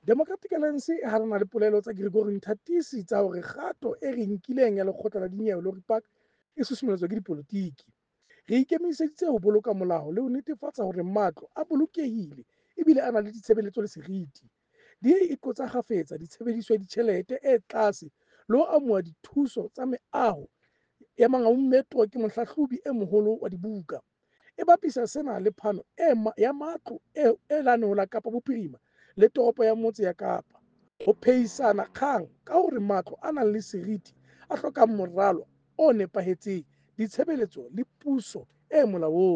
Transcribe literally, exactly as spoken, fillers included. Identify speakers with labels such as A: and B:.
A: Democratic Alliance e hanana le polelo tsa Gregory Nthatisi tsa hore kgato e re nkileng ya lekgotla la dinyewe Lory Park e susumelletswa ke dipolotiki. Re ikemiseditse ho boloka molao le ho netefatsa hore matlo a bolokehile ebile a na le ditshebeletso le seriti. D A e qotsa kgafetsa tshebediso ya ditjhelete e tlase le ho amoha dithuso tsa meaho ya Mangaung Metro ke Mohlahlobi e Moholo wa Dibuka. E bapisa sena le phano ya matlo e lane ho la Kapa Bophirima le Toropo ya Motse ya Kapa. Ho phehisana kgang ka hore matlo a nang le seriti a hloka moralo o nepahetseng, ditshebeletso le puso e molaong.